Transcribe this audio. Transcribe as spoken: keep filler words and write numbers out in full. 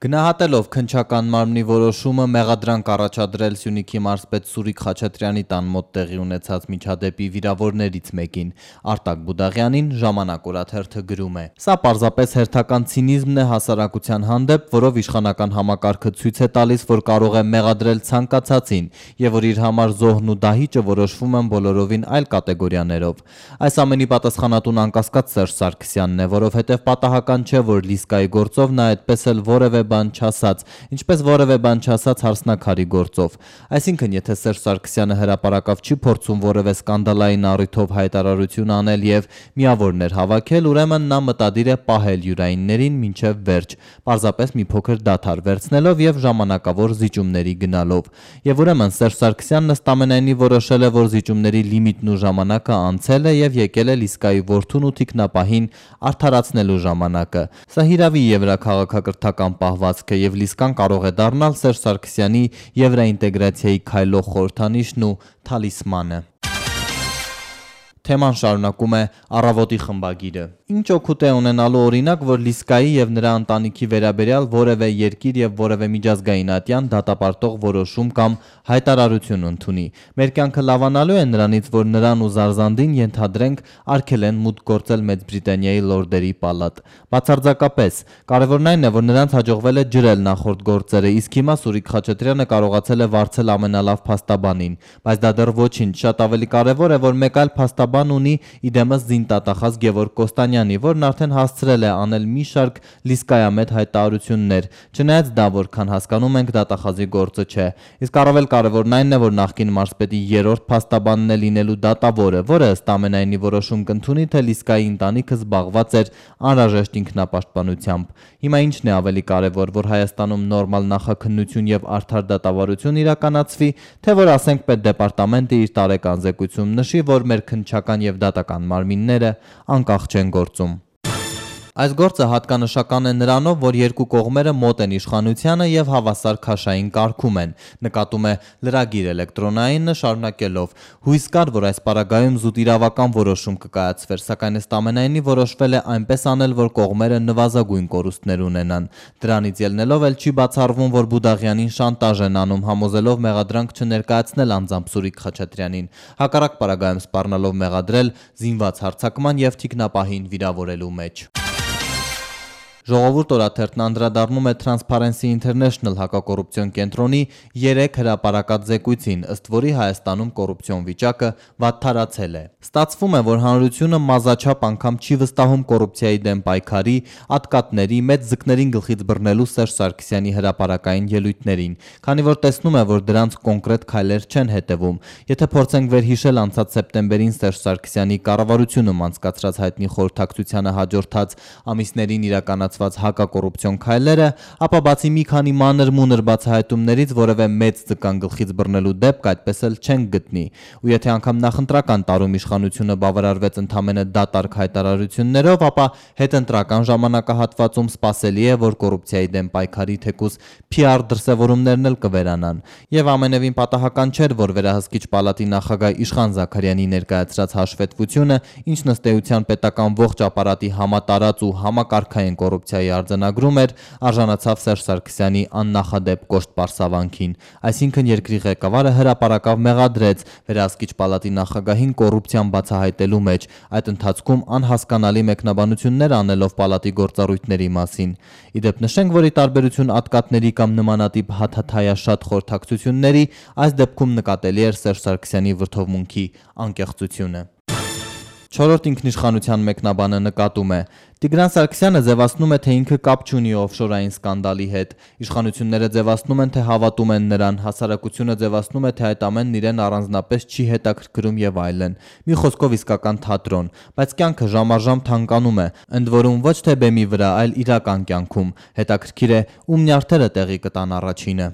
Գնահատելով քննչական մարմնի որոշումը մեղադրանք առաջադրել Սյունիքի մարզպետ Սուրիկ Խաչատրյանի տան մոտ տեղի ունեցած միջադեպի վիրավորներից մեկին, Արտակ Բուդաղյանին, Ժամանակ օրաթերթը գրում է. «Սա պարզապես հերթական ցինիզմն է հասարակության հանդեպ, որով իշխանական համակարգը ցույց է տալիս, որ կարող է մեղադրել ցանկացածին եւ որ իր համար զոհն ու դահիճը որոշվում են բոլորովին այլ կատեգորիաներով։ Այս ամենի պատասխանատուն անկասկած Սերժ Սարգսյանն է, որովհետեւ պատահական չէ, որ Լիսկայի գործով նա այդպես էլ որևէ բան չասաց, ինչպես որևէ բան չասաց Հարսնաքարի գործով։ Այսինքն, եթե Սերժ Սարգսյանը հրապարակավ չի փորձում որևէ սկանդալային առիթով հայտարարություն անել եւ միավորներ հավաքել, ուրեմն նա մտադիր է պահել յուրայիններին մինչեւ վերջ, պարզապես մի փոքր դադար վերցնելով եւ ժամանակավոր զիջումների գնալով։ Եվ ուրեմն Սերժ Սարգսյանն ըստ ամենայնի որոշել է, որ զիջումների լիմիտն ու ժամանակը անցել է եւ եկել է Լիսկայի որդուն ու թիկնապահին արդարացնելու ժամանակը։ Սա հիրավի եվրաքաղաքակրթական պահվածք է եւ Լիսկան կարող է դառնալ Սերժ Սարգսյանի եվրաինտեգրացիայի քայլող խորհրդանիշն ու թալիսմանը»։ Թեման շարունակում է Առավոտի խմբագիրը. «Ինչ օգուտ է ունենալու օրինակ, որ Լիսկայի եւ նրա ընտանիքի վերաբերյալ որևէ երկիր եւ որևէ միջազգային ատյան դատապարտող որոշում կամ հայտարարություն ընդունի։ Մեր կյանքը լավանալու է նրանից, որ նրան ու Զարզանդին ենթադրենք արգել են մուտք գործել Մեծ Բրիտանիայի լորդերի պալատ։ Բացարձակապես։ Կարևորն այն է, որ նրանց հաջողվել է ջրել նախորդ գործերը, իսկ հիմա Սուրիկ Խաչատրյանը կարողացել է վարձել ամենալավ փաստաբանին։ Բայց դա դեռ ոչինչ, շատ ավելի կարևոր է, որ մեկ այլ փաստաբան ունի իդեմս զինտատախազ Գևորգ Կոստանյանի, որն արդեն հասցրել է անել մի շարք լիսկայամետ հայտարարություններ, չնայած դա, որքան հասկանում ենք, դատախազի գործը չէ։ Իսկ առավել կարևորն այն է, որ նախկին մարզպետի երրորդ փաստաբանն է լինելու դատավորը, որը ըստ ամենայնի որոշում կընդունի, թե Լիսկայի ընտանիքը զբաղված էր անհրաժեշտ ինքնապաշտպանությամբ։ Հիմա ինչն է ավելի կարևոր, որ Հայաստանում նորմալ նախաքննություն եւ արդար դատավարություն իրականացվի, թե որ ասենք պետդեպարտամենտը իր տարեկան զեկույցում նշի, որ մեր քննչական եւ դատական մարմինները անկախ չեն գործում։ Այս գործը հատկանշական է նրանով, որ երկու կողմերը մոտ են իշխանությանը եւ հավասար քաշային կարգում են, նկատում է լրագիր էլեկտրոնայինը շարունակելով. հույս կար, որ այս պարագայում զուտ իրավական որոշում կկայացվեր, սակայն ըստ ամենայնի որոշվել է այնպես անել, որ կողմերը նվազագույն կորուստներ ունենան։ Դրանից ելնելով էլ չի բացառվում, որ Բուդաղյանին շանտաժ են անում, համոզելով մեղադրանք չներկայացնել անձամբ Սուրիկ Խաչատրյանին, հակառակ պարագայում սպառնալով մեղադրել զինված հարձակման եւ թիկնապահին վիրավորելու մեջ։ Ժողովուրդ օրաթերթն անդրադառնում է Transparency International հակակոռուպցիոն կենտրոնի երեք հրապարակած զեկույցին, ըստ որի Հայաստանում կոռուպցիոն վիճակը վատթարացել է։ Ստացվում է, որ հանրությունը մազաչափ անգամ չի վստահում կոռուպցիայի դեմ պայքարի, ատկատների, մեծ ձկներին գլխից բռնելու Սերժ Սարգսյանի հրապարակային ելույթներին, քանի որ տեսնում է, որ դրանց կոնկրետ քայլեր չեն հետևում։ Եթե փորձենք վերհիշել անցած սեպտեմբերին Սերժ Սարգսյանի կառավարությունում անցկացրած հայտնի խորհրդակցությանը հաջորդած ամիսներին իրականացված հակակոռուպցիոն քայլերը, ապա բացի մի քանի մանր-մունր բացահայտումներից որևէ մեծ ձկան գլխից բռնելու դեպք այդպես էլ չենք գտնի։ Ու եթե անգամ նախընտրական տարում իշխանությունը բավարարվեց ընդամենը դատարկ հայտարարություններով, ապա հետընտրական ժամանակահատվածում սպասելի է, որ կոռուպցիայի դեմ պայքարի թեկուզ P R դրսևորումներն էլ կվերանան։ Եվ ամենևին պատահական չէր, որ վերահսկիչ պալատի նախագահ Իշխան Զաքարյանի ներկայացրած հաշվետվությունը, ինչն ըստ էության պետական ողջ ապարատի համատարած ու համակարգային կոռուպցիայի արձանագրում էր, արժանացավ Սերժ Սարգսյանի աննախադեպ կոշտ պարսավանքին։ Այսինքն երկրի ղեկավարը հրապարակավ մեղադրեց վերահսկիչ պալատի նախագահին կոռուպցիան բացահայտելու մեջ, այդ ընթացքում անհասկանալի մեկնաբանություններ անելով պալատի գործառույթների մասին։ Իդեպ նշենք, որ ի տարբերություն ատկատների կամ նմանատիպ հաթաթայաշատ խորհրդակցությունների, այս դեպքում նկատելի էր Սերժ Սարգսյանի վրդովմունքի անկեղծությունը։ Չորրորդ ինքնիշխանության մեկնաբանը նկատում է. Տիգրան Սարգսյանը ձևացնում է, թե ինքը կապ չունի օֆշորային սկանդալի հետ, իշխանությունները ձևացնում են, թե հավատում են նրան, հասարակությունը ձևացնում է, թե այդ ամենն իրեն առանձնապես չի հետաքրքրում եւ այլն։ Մի խոսքով իսկական թատրոն, բայց կյանքը ժամ-առժամ թանկանում է, ընդ որում ոչ թե բեմի վրա, այլ իրական կյանքում։ Հետաքրքիր է, ում նյարդերը տեղի կտան առաջինը։